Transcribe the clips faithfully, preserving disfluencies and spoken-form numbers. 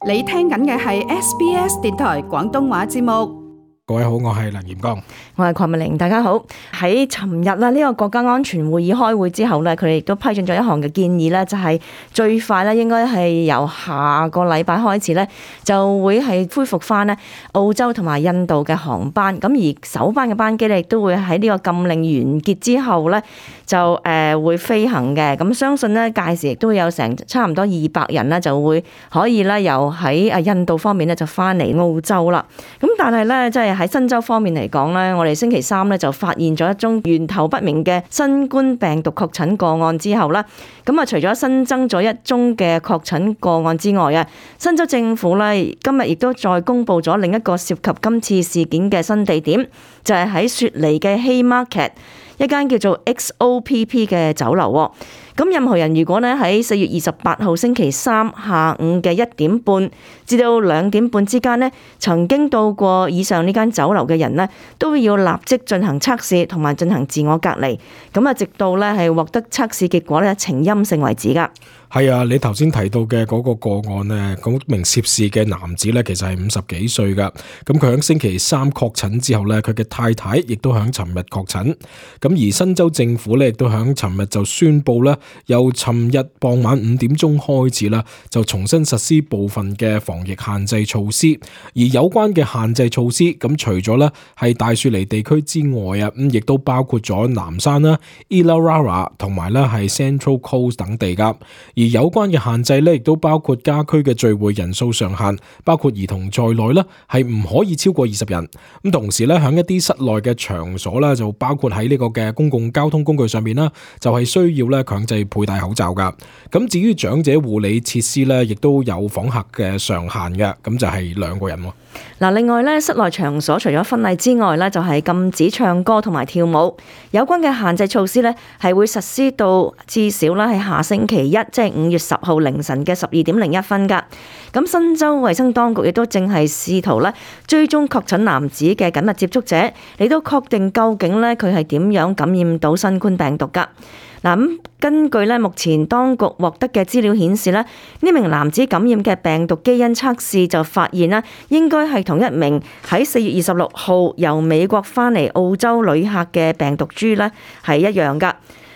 你聽緊嘅係 S B S 電台廣東話節目。各位好，我係梁炎光，我係鄺美玲，大家好。喺尋日啦，呢個國家安全會議開會之後咧，佢哋亦都批准咗一項嘅建議咧，就係最快咧應該係由下個禮拜開始咧，就會係恢復翻咧澳洲同埋印度嘅航班。咁而首班嘅班機咧，亦都會喺呢個禁令完結之後咧，就誒會飛行嘅。咁相信咧屆時亦都會有成差唔多二百人咧，就會可以咧由喺誒印度方面咧就翻嚟澳洲啦。咁但係咧即係喺新州方面嚟講咧，我哋星期三咧就發現咗一宗源頭不明嘅新冠病毒確診個案之後啦，咁啊除咗新增咗一宗嘅確診個案之外啊，新州政府咧今日亦都再公布咗另一個涉及今次事件嘅新地點，就係喺雪梨嘅 Haymarket 一間叫做 X O P P 嘅酒樓。咁任何人如果咧喺四月二十八號星期三下午嘅一點半至到兩點半之間咧，曾經到過以上呢間酒樓嘅人咧，都要立即進行測試同埋進行自我隔離。咁啊，直到咧係獲得測試結果咧呈陰性為止噶。係啊，你頭先提到嘅嗰個個案呢，嗰名涉事嘅男子呢，其實係五十幾歲噶。咁佢喺星期三確診之後呢，佢嘅太太亦都喺尋日確診。咁而新州政府呢，亦都喺尋日就宣布呢，由尋日傍晚五點鐘開始啦，就重新實施部分嘅防疫限制措施。而有關嘅限制措施，咁除咗呢係大雪梨地區之外啊，咁亦都包括咗南山啦、Illawarra 同埋呢係 Central Coast 等地噶。而有關嘅限制咧，亦都包括家居嘅聚會人數上限，包括兒童在內咧，係唔可以超過二十人。咁同時咧，喺一啲室內嘅場所咧，就包括喺呢個嘅公共交通工具上面啦，就係需要咧強制佩戴口罩噶。咁至於長者護理設施咧，亦都有訪客嘅上限嘅，咁就係兩個人喎。嗱，另外咧，室內場所除咗婚禮之外咧，就係禁止唱歌同埋跳舞。有關嘅限制措施咧，係會實施到至少咧係下星期一，即係五月十號凌晨嘅十二點零一分噶。咁新州衛生當局亦都正係試圖咧追蹤確診男子嘅緊密接觸者，嚟到確定究竟咧佢係點樣感染到新冠病毒噶。嗱，咁根據咧目前當局獲得嘅資料顯示咧，呢名男子感染嘅病毒基因測試就發現啦，應該係同一名喺四月二十六號由美國翻嚟澳洲旅客嘅病毒株咧係一樣噶。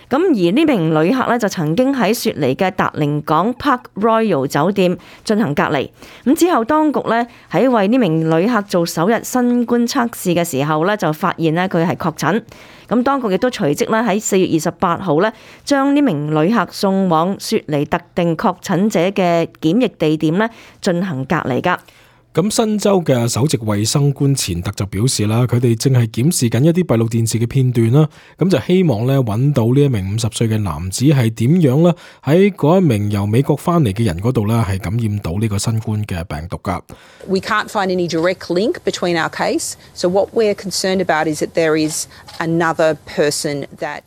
咁而呢名旅客咧就曾經喺雪梨嘅達靈港 Park Royal 酒店進行隔離。咁之後當局咧喺為呢名旅客做首日新冠測試嘅時候咧，就發現咧佢係確診。咁當局亦都隨即咧喺四月二十八號咧將呢名旅客送往雪梨特定確診者嘅檢疫地點咧進行隔離㗎。咁新州嘅首席衛生官錢特就表示啦，佢哋正係檢視緊一啲閉路電視嘅片段啦，咁就希望咧揾到呢一名五十歲嘅男子係點樣咧喺嗰一名由美國翻嚟嘅人嗰度咧係感染到呢個新冠嘅病毒噶。We can't find any direct link between our case, so what we're concerned about is that there is another person that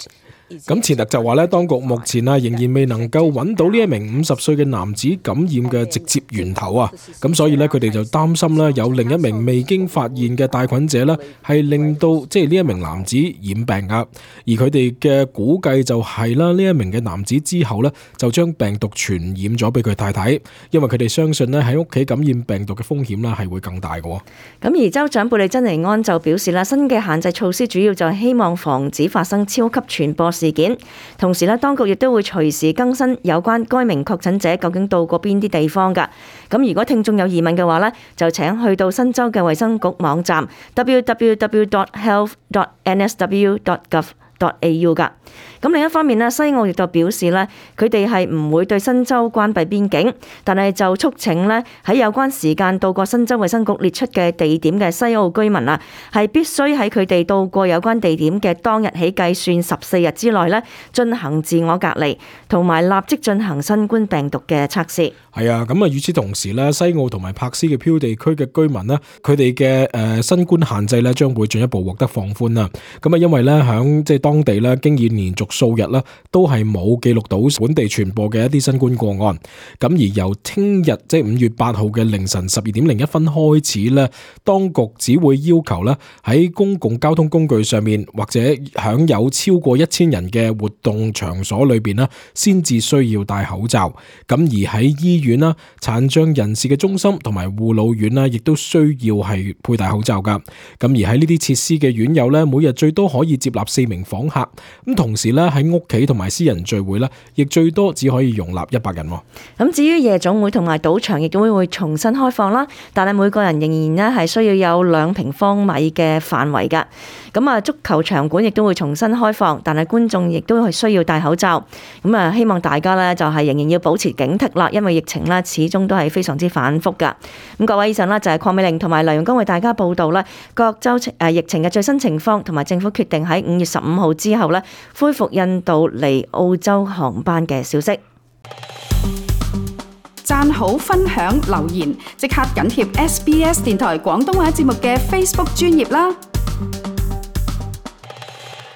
咁錢特就話咧，當局目前啊仍然未能夠揾到呢一名五十歲嘅男子感染嘅直接源頭啊，咁所以咧佢哋就擔心咧有另一名未經發現嘅帶菌者咧係令到即係呢一名男子染病啊，而佢哋嘅估計就係啦，呢一名嘅男子之後咧就將病毒傳染咗俾佢太太，因為佢哋相信咧喺屋企感染病毒嘅風險咧係會更大嘅。咁而州長貝利珍尼安就表示啦，新嘅限制措施主要就係希望防止發生超級傳播事件，同時咧，當局亦都會隨時更新有關該名確診者究竟到過邊啲地方㗎。咁如果聽眾有疑問嘅話咧，就請去到新州嘅衛生局網站 double-u double-u double-u dot health dot n s w dot gov dot a u 㗎。咁另一方面咧，西澳亦就表示咧，佢哋係唔會對新州關閉邊境，但係就促請咧喺有關時間到過新州衛生局列出嘅地點嘅西澳居民啊，係必須喺佢哋到過有關地點嘅當日起計算十四日之內咧進行自我隔離，同埋立即進行新冠病毒嘅測試。係啊，咁啊，與此同時咧，西澳同埋柏斯嘅漂地區嘅居民咧，佢哋嘅誒新冠限制咧將會進一步獲得放寬啦。咁啊，因為咧響即係當當地咧經已連續數日咧都係冇記錄到本地傳播嘅一啲新冠個案。咁而由聽日即係五月八號嘅凌晨十二點零一分開始咧，當局只會要求咧喺公共交通工具上面或者享有超過一千人嘅活動場所裏邊咧，先至需要戴口罩。咁而喺醫院啦、殘障人士嘅中心同埋護老院啦，亦都需要係佩戴口罩噶。咁而喺呢啲設施嘅院友咧，每日最多可以接納四名訪客。咁同時咧喺屋企同埋私人聚會咧，亦最多只可以容納一百人。咁至於夜總會同埋賭場亦都會重新開放啦，但係每個人仍然咧係需要有兩平方米嘅範圍噶。咁啊，足球場館亦都會重新開放，但係觀眾亦都係需要戴口罩。咁啊，希望大家咧就係仍然要保持警惕啦，因為疫情咧始終都係非常之反覆噶。咁各位，以上啦就係鄺美玲同埋梁容光為大家報道啦各州誒疫情嘅最新情況，同埋政府決定喺五月十五號之後咧恢復印度嚟澳洲航班嘅消息。讚好、分享、留言，即刻緊貼 S B S 電台廣東話節目嘅 Facebook 專頁啦！